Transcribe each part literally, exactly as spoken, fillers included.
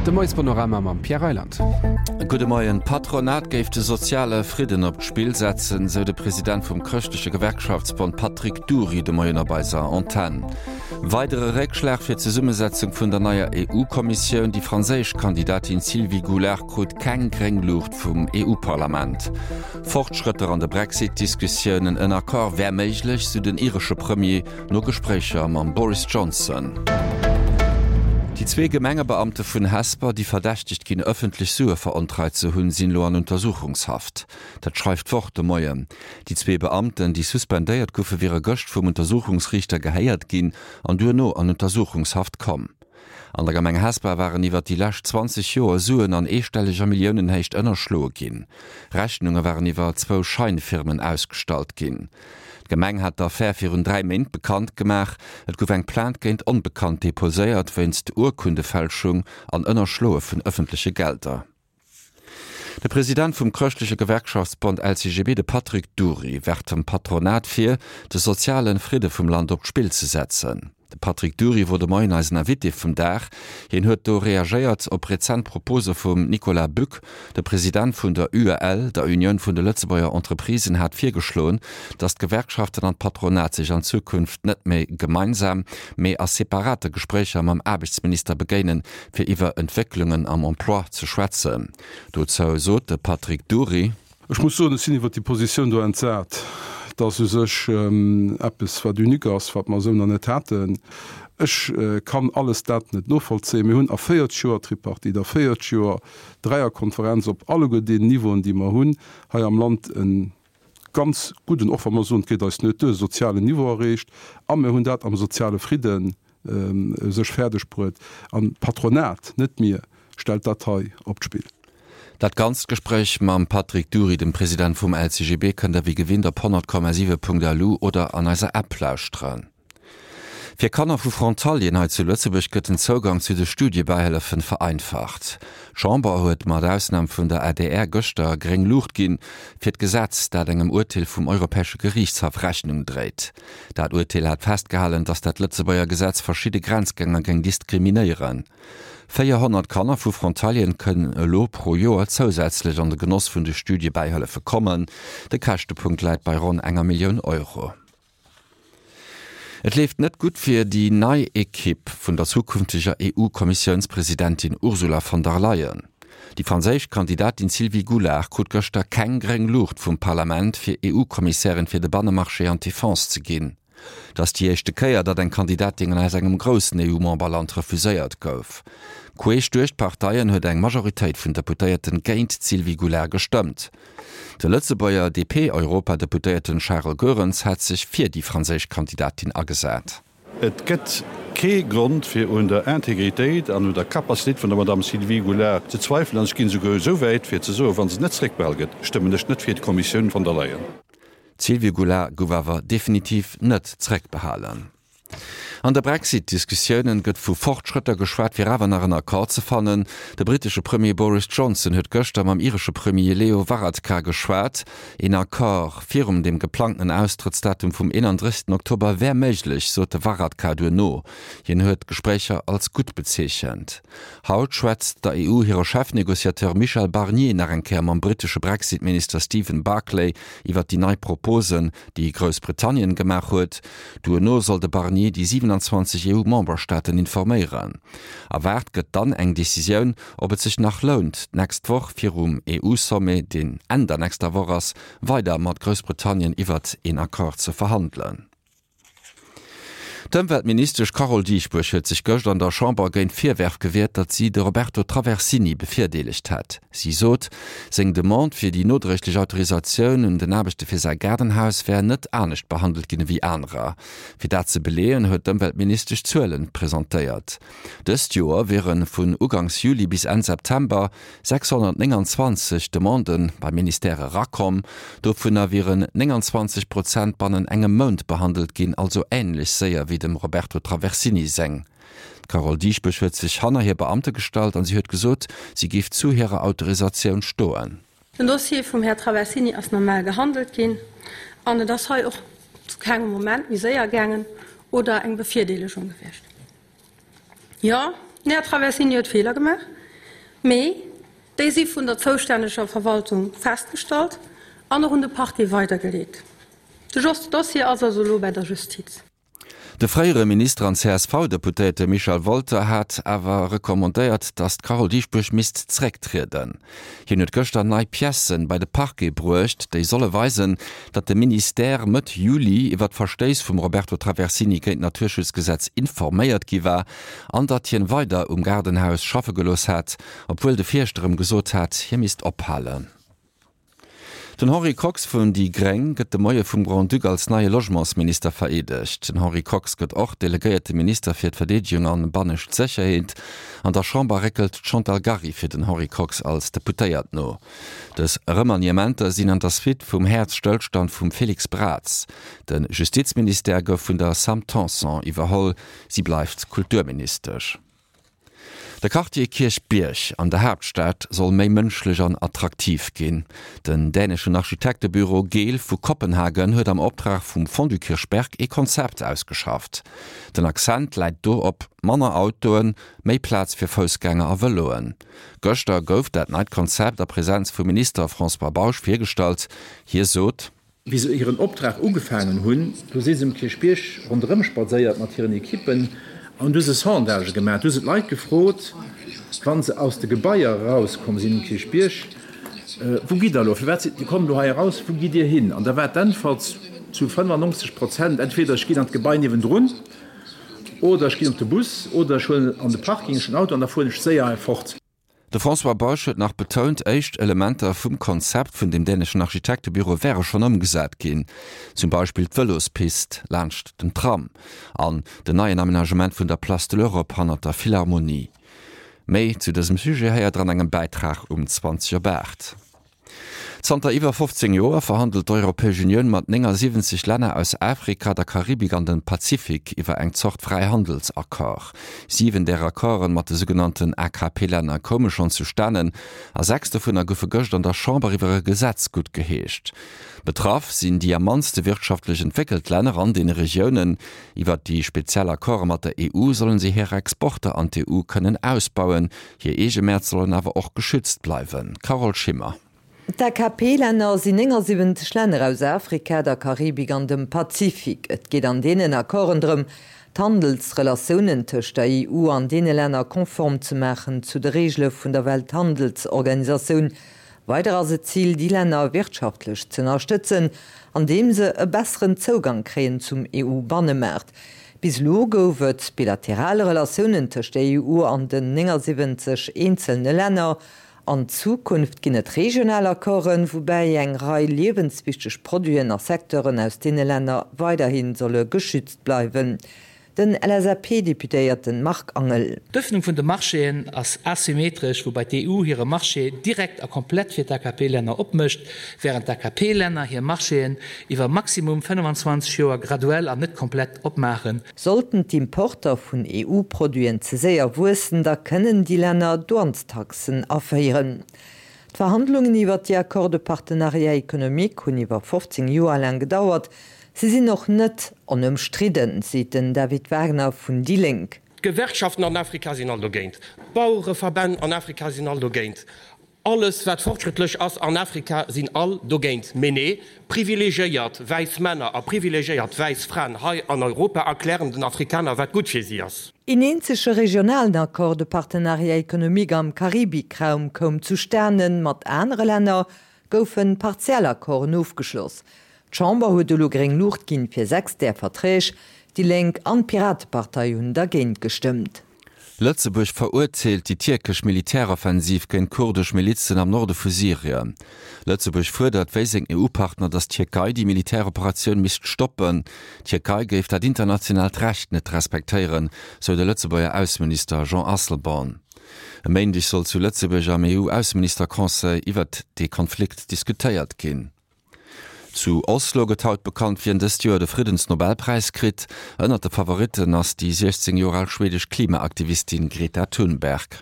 De Moiespanorama mam Pierre Reyland. Gudde Moien. D'Patronat géif de soziale Fridden op d'Spill setzen, sou de President vum Chrëschtleche Gewerkschaftsbond Patrick Dury de Moien op eiser Antenn. Weidere Réckschlag fir d'Zesummesetzung vun der neier EU-Kommissioun, Déi franséisch Kandidatin Sylvie Goulard krut keng gréng Luucht vum EU-Parlament. Fortschrëtter an de Brexit-Diskussiounen, En Accord wär méiglech, sou den iresche Premier no Gespréicher mam Boris Johnson. Déi zwee Gemengebeamte vun Hesper, déi verdächtegt ginn, ëffentlech Sue verontreit ze hunn, sinn elo an Untersuchungshaft. Dat schreift d'Wort de Moien. Déi zwee Beamten, déi suspendéiert goufen, wiere gëscht vum Untersuchungsriichter gehéiert ginn an duerno an Untersuchungshaft komm. An der Gemeng Hesper waren iwwert déi lescht zwanzeg Joer Suen an eestelleger Milliounenhéicht ënnerschloe ginn. Rechnunge waren iwwer zwou Scheinfirmen ausgestallt ginn. D'Gemeng hat d'Affär virun dräi Méint bekannt gemaach. Et gouf eng Plainte géint Onbekannt deposéiert wéinst Urkundefälschung an Ënnerschloe vun ëffentleche Gelder. De President vum chrëschtleche Gewerkschaftsbond L C G B, de Patrick Dury, werft dem Patronat vir, de soziale Fridde vum Land op d'Spill ze setzen. De Patrick Dury wor de Moien eisen Invité vum Dag. Hien huet do reagéiert op rezent Propose vum Nicolas Bück. De President vun der U E L, der Unioun vun de Lëtzebuerger Entreprisen, hat virgeschloen, datt d'Gewerkschaften an d'Patronat sech an Zukunft net méi gemeinsam, mee a separate Gespréicher mam Aarbechtsminister begéinen, fir iwwer Entwécklungen am Emploi ze schwätzen. Dozou sot de Patrick Dury: Ech muss soen, ech sinn iwwer déi Positioun do entsat. Et ass u sech eppes, wat unique ass, wat mer esou nach net haten. Ech kann alles dat net novollzéien. Mir hunn a véierzeg Joer Tripartite, a véierzeg Joer Dräierkonferenz op alleguer deenen Niveauen, déi mer hunn hei am Land, e ganz gudden, och wa mer soen, et geet eis net duer, sozialen Niveau erreecht. A mir hunn dat am soziale Fridden u sech fäerdeg bruet. An d'Patronat, net mir, stellt dat hei op d'Spill. Dat ganzt Gespréich mam Patrick Dury, dem President vum L C G B, kënnt der wéi gewinnt op honnert Komma siwe Punkt L U oder an eiser App lauschteren. Fir Kanner vu Frontalieren hei zu Lëtzebuerg gëtt den Zougang zu de Studiebäihëllefen vereinfacht. D'Chamber huet mat Ausnam vun der A D R gëschter gréng Luucht ginn fir d'Gesetz, dat engem Urteel vum Europäesche Geriichtshaff Rechnung dréit. Dat Urteel hat festgehalen, datt dat Lëtzebuerger Gesetz verschidde Grenzgänger géing diskriminéieren. véierhonnert Kanner vu Frontalieren kënnen elo pro Joer zousätzlech an de Genoss vun de Studiebäihëllefe kommen. De Käschtepunkt läit bei ronn enger Millioun Euro. Et leeft net gutt fir déi nei Ekipp vun der zukünfteger E U-Kommissiounspresidentin Ursula von der Leyen. Déi franséisch Kandidatin Sylvie Goulard krut gëschter keng gréng Luucht vum Parlament, fir E U-Kommissärin fir de Bannemarché an d'Defense ze ginn. Dat ass déi éischte Kéier, datt eng Kandidatin aus engem groussen E U-Memberland refuséiert gouf. Queesch duerch d'Parteien huet eng Majoritéit vun Deputéierten géint d'Sylvie Goulard gestëmmt. De Lëtzebuerger D P-Europadeputéierten Charles Goerens hat sech fir déi franséisch Kandidatin agesat. Et gëtt kee Grond fir un der Integritéit an un der Capacitéit vun der Madame Sylvie Goulard ze zweifelen an ech ginn esouguer esou wäit fir ze soen, wa se net zeréckbehal gëtt, stëmmen ech net fir d'Kommissioun von der Leyen. D'Sylvie Goulard gouf awer definitiv net zeréckbehalen. An de Brexit-Diskussiounen gëtt vu Fortschrëtter geschwat, fir awer nach en Accord ze fannen. De brittesche Premier Boris Johnson huet gëschter mam iresche Premier Leo Varadkar geschwat. Een Accord virum dem geplangten Austrëttsdatum vum eenandrëssegsten Oktober wär méiglech, sot de Varadkar duerno. Hien huet d'Gespréicher als gutt bezeechent. Haut schwätzt der E U hire Chefnegociateur Michel Barnier nach eng Kéier mam brittesche Brexit-Minister Stephen Barclay iwwer déi nei Proposen, déi Groussbritannien gemaach huet. Duerno soll de Barnier déi siewenundzwanzeg E U-Memberstaaten informéieren. Erwaart gëtt dann eng Decisioun, ob et sech nach lount, d'nächst Woch virum E U-Sommet, deen Enn der nächster Woch ass, weider mat Groussbritannien iwwert een Accord ze verhandelen. D'Ëmweltministesch Carole Dieschbourg huet sech gëschter an der Chamber géint Virwërf gewiert, datt si de Roberto Traversini bevirdeelegt hätt. Si sot, seng Demande fir déi nodréiglech Autorisatioun un den Aarbechte fir säi Gaardenhaus wär net anescht behandelt ginn ewéi anerer. Fir dat ze beleeën, huet d'Ëmweltministesch Zuele presentéiert. Dëst Joer wiere vun Uganks Juli bis Enn September sechshonnertnénganzwanzeg Demanden beim Ministère erakomm, dovunner wieren nénganzwanzeg Prozent bannen engem Mount behandelt ginn, also änlech séier wéi dem Roberto Traversini seng. D'Carole Dieschbourg huet sech hanner hir Beamte gestallt an si huet gesot, si géif zu hirer Autorisatioun stoen. Den Dossier vum Här Traversini ass normal gehandelt ginn an et ass hei och zu kengem Moment méi séier gaangen oder eng Bevirdeelegung gewiescht. Jo, den Här Traversini huet Feeler gemaach. Mee déi si vun der zoustänneger Verwaltung festgestallt an och un de Parquet weidergeleet. De Dossier ass also elo bei der Justiz. De fréiere Minister an C S V-Deputéierte Michel Wolter hat awer recommandéiert, datt d'Carole Dieschbourg misst zrécktrieden. Hien huet gëschter nei Piècen bei de Parquet bruecht, déi solle weisen, datt de Ministère Mëtt Juli iwwer d'Verstéiss vum Roberto Traversini géint d'Naturschutzgesetz informéiert gi war an datt hien weider um Gaardenhaus schaffe gelooss hat, obwuel de Fierschter em gesot hat, hie misst ophalen. Den Henri Kox vun déi Gréng gëtt de Moie vum Grand-Duc als neie Logementsminister vereedegt. Den Henri Kox gëtt och delegéierte Minister fir d'Verdeedegung an bannescht Sécherheet. An der Chamber réckelt d'Chantal Gary fir den Henri Kox als Deputéiert no. Dës Remaniementer sinn an der Suite vum Häerzstëllstand vum Félix Braz. De Justizministère gouf vun der Sam Tanson iwwerholl, si bleift Kulturministesch. De Quartier Kierchbierg an der Haaptstad soll méi mënschlech an attraktiv ginn. Den däneschen Architektebüro Gehl vu Kopenhagen huet am Optrag vum Fonds du Kirchberg e Konzept ausgeschafft. Den Accent läit do op manner Autoen, méi Plaz fir Foussgänger a Vëloen. Gëschter gouf dat neit Konzept a Presenz vum Minister François Bausch virgestallt. Hie sot: Wéi se hiren Optrag ugefaangen hunn, do si se um Kierchbierg ronderëm spadséiert mat hiren Ekippen an du hu se Sondagë gemaach. Du hu se d'Leit gefrot, wa se aus de Gebaier erauskomm sinn um Kierchbierg, Wou gitt der elo? Firwat sidd Dir kommt elo hei eraus? Wou gitt Dir hin? An da war d'Äntwert zu fënnefannonzeg Prozent, Entweder ech ginn an d'Gebai niewendrun oder ech ginn op de Bus oder ech huelen an de Parking ech den Auto an da fueren ech séier hei fort. De François Bausch huet nach betount, éischt Elementer vum Konzept vun dem däneschen Architektebüro wäre schonn ëmgesat ginn, zum Beispill d'Vëlospist laanscht den Tram an den neien Amenagement vun der Place de l'Europe hannert der Philharmonie. Méi zu dësem Sujet héiert der an engem Bäitrag um zwanzeg op aacht. Zanter iwwer fofzéng Joer verhandelt d'Europäesch Unioun mat néngasiwwenzeg Länner aus Afrika, der Karibik an dem Pazifik iwwer eng Zort Fräihandelsaccord. Siwen där Accorden mat de sougenannten A K P-Länner koume schonn zustanen a sechs dovunner goufe gëscht an der Chamber iwwer e Gesetz guttgeheescht. Betraff sinn déi am mannste wirtschaftlech entwéckelt Länner an deene Regiounen. Iwwer déi speziell Accorde mat der E U sollen si hir Exporter an d'E U kënnen ausbauen, hir eege Mäert sollen awer och geschützt bleiwen. Carole Schimmer. D'A K P-Länner sinn néngasiwwenzeg Länner aus Afrika, der Karibik an dem Pazifik. Et geet an deenen Accorden drëm, d'Handelsrelatiounen tëscht der E U an deene Länner konform ze maachen zu de Reegele vun der Welthandelsorganisatioun. Weider ass et d'Zil, déi Länner wirtschaftlech z'ënnerstëtzen, andeem se e besseren Zougang kréien zum E U-Bannemaart. Bis elo gouf et bilateral Relatiounen tëscht der E U an den néngasiwwenzeg eenzelne Länner. An Zukunft ginn et regional Accorden, woubäi eng Rei liewenswichteg Produiten a Secteuren aus deene Länner weiderhi solle geschützt bleiwen. Den L S A P-Deputéierte Marc Angel. D'Ëffnung vun de Marchéen ass asymmetresch, woubäi d'E U hire Marché direkt a komplett fir d'A K P-Länner opmécht, wärend d'A K P-Länner hir Marchéen iwwer maximum fënnefenzwanzeg Joer graduell an net komplett opmaachen. Sollten d'Importer vun E U-Produiten ze séier wuessen, da kënnen déi Länner Douanestaxen aféieren. D'Verhandlungen iwwer déi Accords de partenariat économique hunn iwwer fofzéng Joer laang gedauert. Si sinn och net onëmstridden, seet den David Wagner vun déi Lénk. D'Gewerkschaften an Afrika sinn all dogéint, d'Bauereverbänn an Afrika sinn all dogéint, alles wat fortschrëttlech ass an Afrika sinn all dogéint. Mee nee, privilegiéiert wäiss Männer a privilegiéiert wäiss Fraen hei an Europa erklären den Afrikaner wat gutt fir si ass. Een eenzege regionalen Accord de partenariat économique am Karibikraum koum zustanen, mat anere Länner goufe partiell Accorden ofgeschloss. D'Chamber huet elo gréng Luucht ginn fir sechs där Verträg, déi Lénk an d'Piratepartei hunn dergéint gestëmmt. Lëtzebuerg verurteelt déi tierkesch Militäroffensiv géint kurdesch Milizen am Norde vu Syrien. Lëtzebuerg fuerdert wéi seng E U-Partner, datt d'Tierkei déi Militäroperatioun misst stoppen. D'Tierkei géif dat internationaalt Recht net respektéieren, sou de Lëtzebuerger Ausseminister Jean Asselborn. E Méindeg soll zu Lëtzebuerg am E U-Ausseministerconseil iwwert de Konflikt diskutéiert ginn. Zu Oslo gëtt haut bekannt, wien dëst Joer de Friddensnobelpräis kritt. Ënnert de Favoritten ass déi siechzéng Joer al schwedesch Klimaaktivistin Greta Thunberg.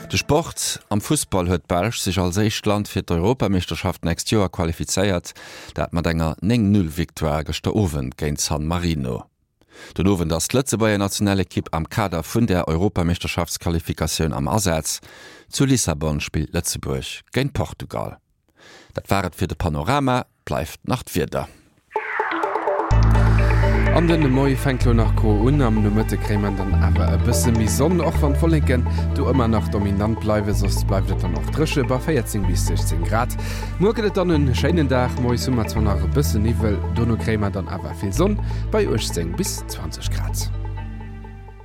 De Sport, Am Fussball huet d'Belsch sech als éischt Land fir d'Europameeschterschaft nächst Joer qualifizéiert, dat mat enger néng Null Victoire gëschter Owend géint San Marino. Den Owend ass d'Lëtzebuerger Nationalekipp am Kader vun der Europameeschterschaftsqualifikatioun am Asaz. Zu Lissabon spillt Lëtzebuerg géint Portugal. Dat war et fir de Panorama, bleift nach d'Wieder. An den Moie fänkt lo nach gro un, am Nomëtte kréie mer dann awer e bësse méi Sonn, och wann d'Wolleken do ëmmer nach dominant bleiwen. Soss bleift et dann och dréche bei véierzéng bis siechzéng Grad. Muer gëtt et dann en schéinen Dag, moies hu mer zwar nach e bësse Niwwel, dono kréie mer dann awer vill Sonn bei uechtzéng bis zwanzeg Grad.